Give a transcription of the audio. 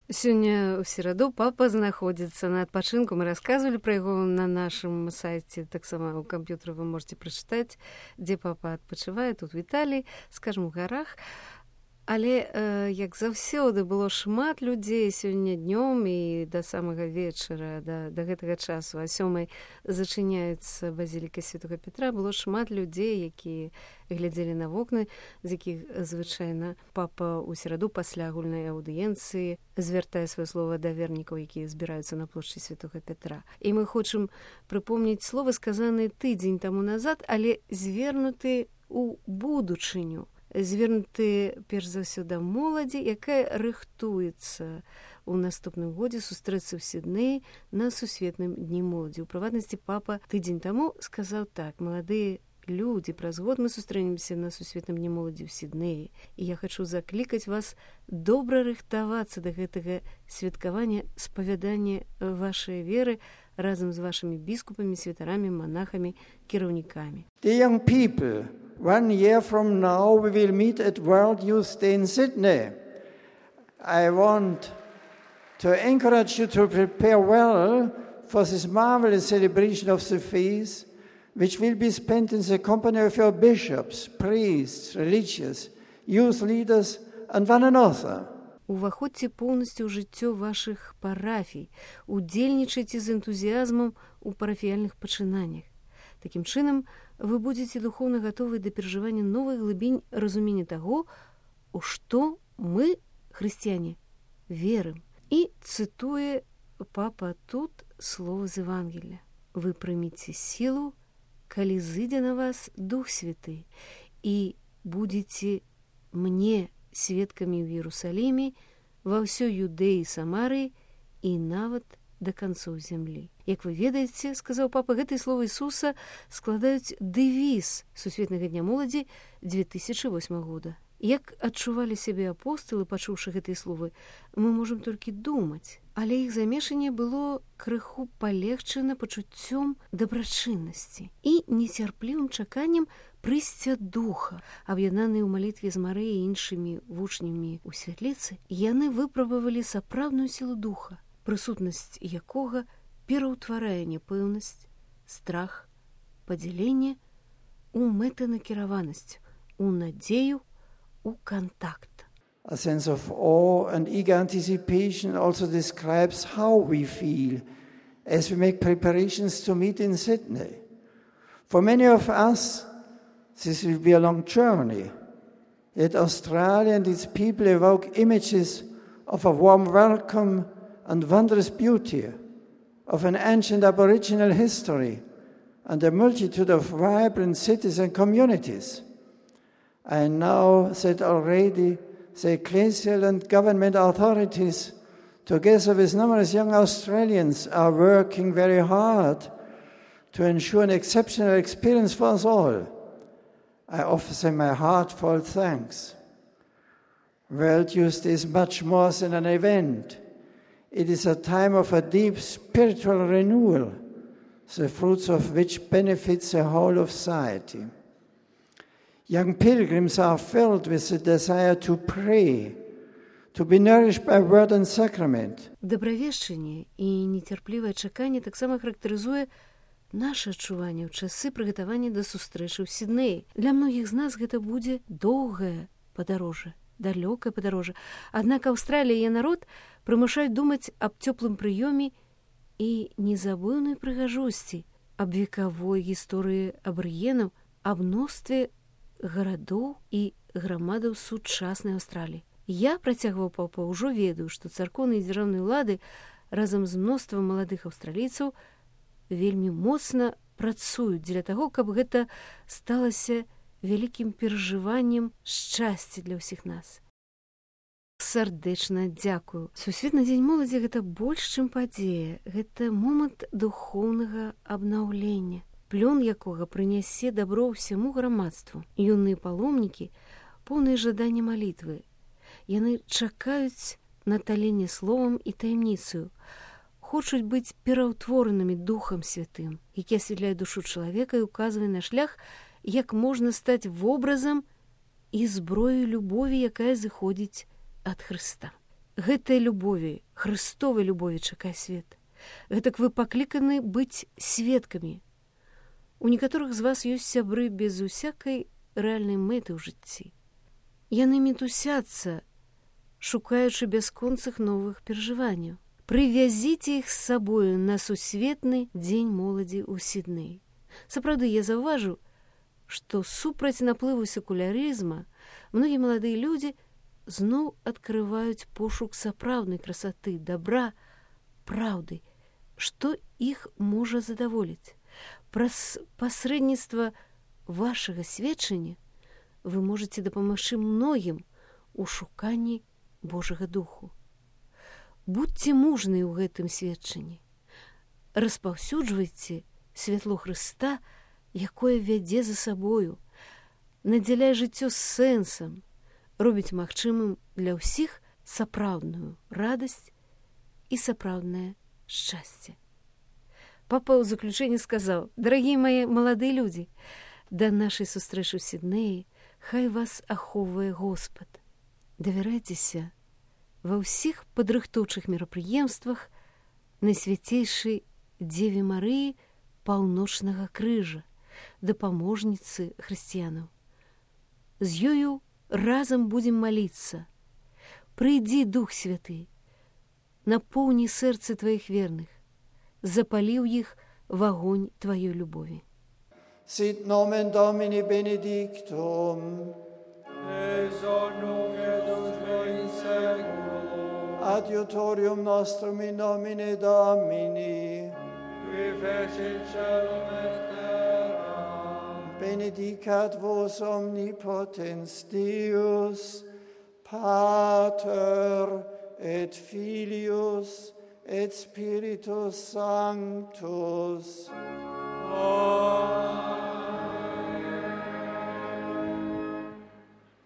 Сёння ў сераду папа знаходзіцца на адпачынку. Мы расказвалі пра яго на нашым сайце. Таксама ў камп'ютары вы можете прачытаць, дзе папа адпачывае, тут в Італіі, скажам, у гарах. Але, як заўсёды, было шмат людзей сёння днём і да самага вечара, да гэтага часу. А 7:00 зачыняецца базіліка Святога Петра. Было шмат людзей, якія глядзелі на вокны, з якіх звычайна папа ў сераду пасля агульнай аўдыенцыі звяртае сваё слова да вернікаў, якія збіраюцца на плошчы Святога Петра. І мы хочам прыпомніць словы, сказаныя тыдзень таму назад, але звернуты ў будучыню. Звернуты, перш за ўсё, да моладзі, якая рыхтуецца ў наступным годзе сустрэцца ў Сіднеі на сусветным дні моладзі. У прыватнасці папа тыдзень таму сказаў так: маладыя людзі, праз год мы сустрэнемся на сусветным дні моладзі ў Сіднеі. І я хачу заклікаць вас добра рыхтавацца да гэтага святкавання, спавядання вашай веры разам з вашымі біскупамі, святарамі, манахамі, кіраўнікамі. The young people, 1 year from now, we will meet at World Youth Day in Sydney. I want to encourage you to prepare well for this marvelous celebration of the feast, which will be spent in the company of your bishops, priests, religious, youth leaders, and one another. Уваходзьце поўнасцю ў жыццё вашых парафій, удзельнічайце з энтузіязмам у парафіяльных пачынаннях. Такім чынам, вы будзеце духоўна гатовы да перажывання новых глыбінь разумення таго, у што мы, хрысціяне, верым. І цытуе папа тут слова з Евангелія: вы прыміце сілу, калі зыдзе на вас Дух Святы, і будзеце мне сведкамі ў Іерусаліме, ва ўсёй Юдэі, Самарыі і нават да канцоў зямлі. Як вы ведаеце, сказаў папа, гэтыя словы Ісуса складаюць дэвіз сусветнага дня моладзі 2008 года. Як адчувалі сябе апосталы, пачуўшы гэтыя словы, мы можам толькі думаць, але іх замешанне было крыху палегчана пачуццём дабрачыннасці і нецярплівым чаканнем прыйсця духа. Аб'яднаныя ў малітве з Марыяй і іншымі вучнямі ў святліцы, яны выпрабавалі сапраўдную сілу духа, прысутнасць якога пераўтварае няпэўнасць, страх, падзяленне у мэтанакіраванасць, у надзею, у контакт. A sense of awe and eager anticipation also describes how we feel as we make preparations to meet in Sydney. For many of us, this will be a long journey. Yet Australia and its people evoke images of a warm welcome and wondrous beauty, of an ancient Aboriginal history and a multitude of vibrant cities and communities. I know that already the ecclesial and government authorities, together with numerous young Australians, are working very hard to ensure an exceptional experience for us all. I offer them my heartfelt thanks. World Youth Day is much more than an event. It is a time of a deep spiritual renewal, the fruits of which benefits the whole of society. Young pilgrims are filled with the desire to pray, to be nourished by word and sacrament. Дабравешчанне і нецярплівае чаканне таксама характарызуе наше адчуванне ў часы прыгатавання да сустрэчы ў Сіднеі. Для многіх з нас гэта будзе доўгае падарожжа, далёкае падарожжа. Аднак Аўстралія і яе народ прымушаюць думаць аб цёплым прыёме і незабыўнай прыгажосці, аб векавой гісторыі абарыгенаў, аб мностве гарадоў і грамадаў сучаснай Аўстраліі. Я, працягваў папа, ужо ведаю, што царкоўныя і дзяржаўныя ўлады разам з мноствам маладых аўстралійцаў вельмі моцна працуюць дзеля таго, каб гэта сталася вялікім перажываннем шчасця для ўсіх нас. Сардэчна дзякую. Сусветны дзень моладзі — гэта больш, чым падзея. Гэта момант духоўнага абнаўлення, плён якога прынясе дабро ўсяму грамадству. Юныя паломнікі поўныя жадання малітвы. Яны чакаюць наталенне словам і таямніцаю, хочуць быць пераўтворанымі Духам Святым, які асвятляе душу чалавека і указвае на шлях, як можна стаць вобразам і зброяй любові, якая зыходзіць ад Хрыста. Гэтай любові, Христовай любові чакае свет. Гэтак вы пакліканы быць сведкамі. У некаторых з вас ёсць сябры без усякай рэальнай мэты ў жыцці. Яны мітусяцца, шукаючы бясконцых новых перажыванняў. Прывязіце іх з сабою на сусветны дзень моладзі ў Сіднеі. Сапраўды, я заўважыў, што супраць наплыву секулярызма многія маладыя людзі зноў адкрываюць пошук сапраўднай красоты, добра, праўды, што іх можа задаволіць. Праз пасрэдніцтва вашага сведчання вы можаце дапамагчы многім у шуканні Божага Духу. Будьце мужныя ў гэтым сведчанні. Распаўсюджвайце святло Хрыста, якое вядзе за сабою, надзяляе жыццё сэнсам, робіць магчымым для ўсіх сапраўдную радасць і сапраўднае шчасце. Папа ў заключэнні сказаў: «Дарагія мае маладыя людзі, да нашай сустрэчы ў Сіднеі хай вас ахоўвае Господ. Давярайцеся ва ўсіх падрыхтоўчых мерапрыемствах Найсвяцейшай Дзеве Марыі Паўночнага крыжа, дапаможніцы хрысціянаў. З ёю разам будзем маліцца. Прыйдзі, Дух Святы, напоўні сэрцы тваіх верных, запалі ў іх вагонь тваёй любові». Sit nomen Domini benedictum, ex hoc nunc et usque in saeculum, adiutorium nostrum in nomine Domini, qui fecit caelum et terram, benedicat vos omnipotens Deus, Pater et Filius et Spiritus Sanctus.